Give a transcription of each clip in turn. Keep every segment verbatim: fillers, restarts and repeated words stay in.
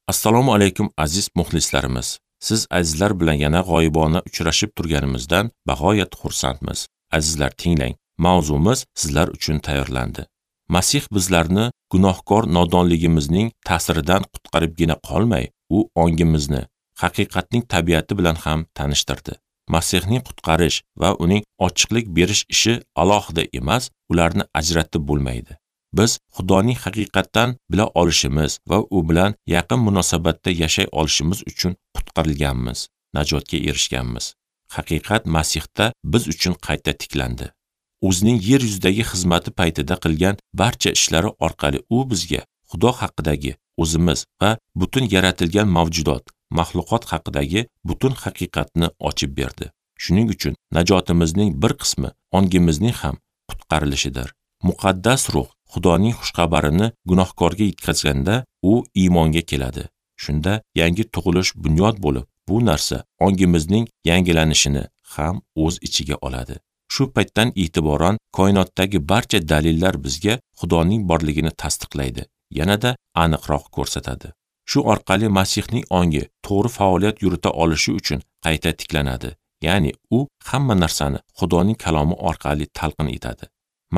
Assalomu alaykum aziz muxlislarimiz. Siz azizlar bilan yana g'oyibona uchrashib turganimizdan bag'oyat xursandmiz. Azizlar, tinglang, mavzumiz sizlar uchun tayyorlandi. Masih bizlarni gunohkor nodonligimizning ta'siridan qutqaribgina qolmay, u ongimizni haqiqatning tabiati bilan ham tanishtirdi. Masihning qutqarish va uning ochiqlik berish ishi alohida emas, ularni ajratib bo'lmaydi. Biz Xudoning haqiqatdan bila olishimiz va u bilan yaqin munosabatda yashay olishimiz uchun qutqarilganmiz, najotga erishganmiz. Haqiqat Masihda biz uchun qayta tiklandi. O'zining yer yuzidagi xizmati paytida qilgan barcha ishlari orqali u bizga Xudo haqidagi o'zimiz va butun yaratilgan mavjudot, maxluqot haqidagi butun haqiqatni ochib berdi. Shuning uchun najotimizning bir qismi ongimizning ham qutqarilishidir. Muqaddas ruh Xudoning xushxabarini gunohkorga yetkazganda u iymonga keladi. Shunda yangi tug'ilish bunyod bo'lib, bu narsa ongimizning yangilanishini ham o'z ichiga oladi. Shu paytdan e'tiboran koinotdagi barcha dalillar bizga Xudoning borligini tasdiqlaydi, yanada aniqroq ko'rsatadi. Shu orqali Masihning ongi to'g'ri faoliyat yurita olishi uchun qayta tiklanadi. Ya'ni u hamma narsani Xudoning kalomi orqali talqin etadi.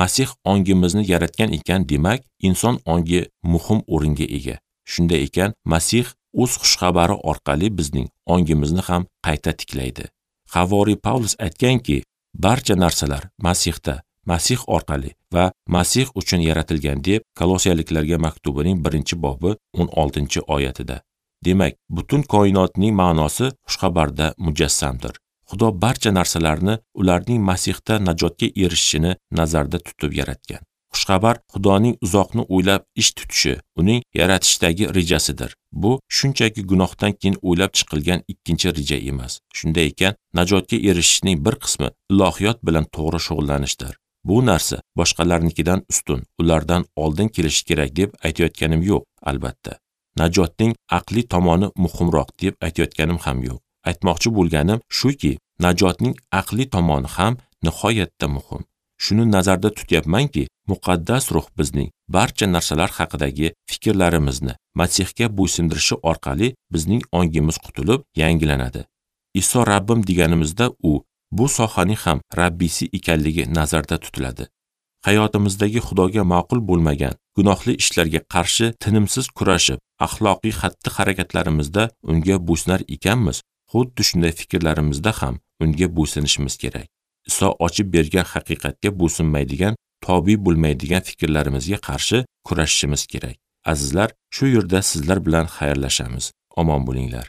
Masih ongimizni yaratgan ekan, demak, inson ongi muhim o'ringa ega. Shunday ekan, Masih o'z xushxabari orqali bizning ongimizni ham qayta tiklaydi. Havoriy Pavlus aytganki, barcha narsalar Masihda, Masih orqali va Masih uchun yaratilgan deb Kolosiyaliklarga maktubining birinchi bobi o'n oltinchi oyatida. Demak, butun koinotning ma'nosi xushxabarda mujassamdir. Xudo barcha narsalarni ularning Masihda najotga erishishini nazarda tutib yaratgan. Xushxabar Xudoning uzoqni o'ylab ish tutishi, uning yaratishdagi rejasidir. Bu shunchaki gunohdan keyin o'ylab chiqilgan ikkinchi reja emas. Shunday ekan, najotga erishishning bir qismi ilohiyot bilan to'g'ri shug'ullanishdir. Bu narsa boshqalarnikidan ustun, ulardan oldin kelishi kerak deb aytayotganim yo'q, albatta. Najotning aqliy tomoni muhimroq deb aytayotganim ham yo'q. Aytmoqchi bo'lganim shuki, najotning aqliy tomoni ham nihoyatda muhim. Shuni nazarda tutyapmanki, muqaddas ruh bizning barcha narsalar haqidagi fikrlarimizni Masihga bo'ysundirishi orqali bizning ongimiz qutulib, yangilanadi. Iso Rabbim deganimizda u bu sohaning ham Rabbisi ekanligi nazarda tutiladi. Hayotimizdagi Xudoga ma'qul bo'lmagan gunohli ishlarga qarshi tinimsiz kurashib, axloqiy xatti-harakatlarimizda unga bo'ysunar ekanmiz, xuddi shunday fikrlarimizda ham unga bo'ysunishimiz kerak. Iso ochib bergan haqiqatga bo'ysunmaydigan, tobi bo'lmaydigan fikrlarimizga qarshi kurashishimiz kerak. Azizlar, shu yerda sizlar bilan xayrlashamiz. Omon bo'linglar.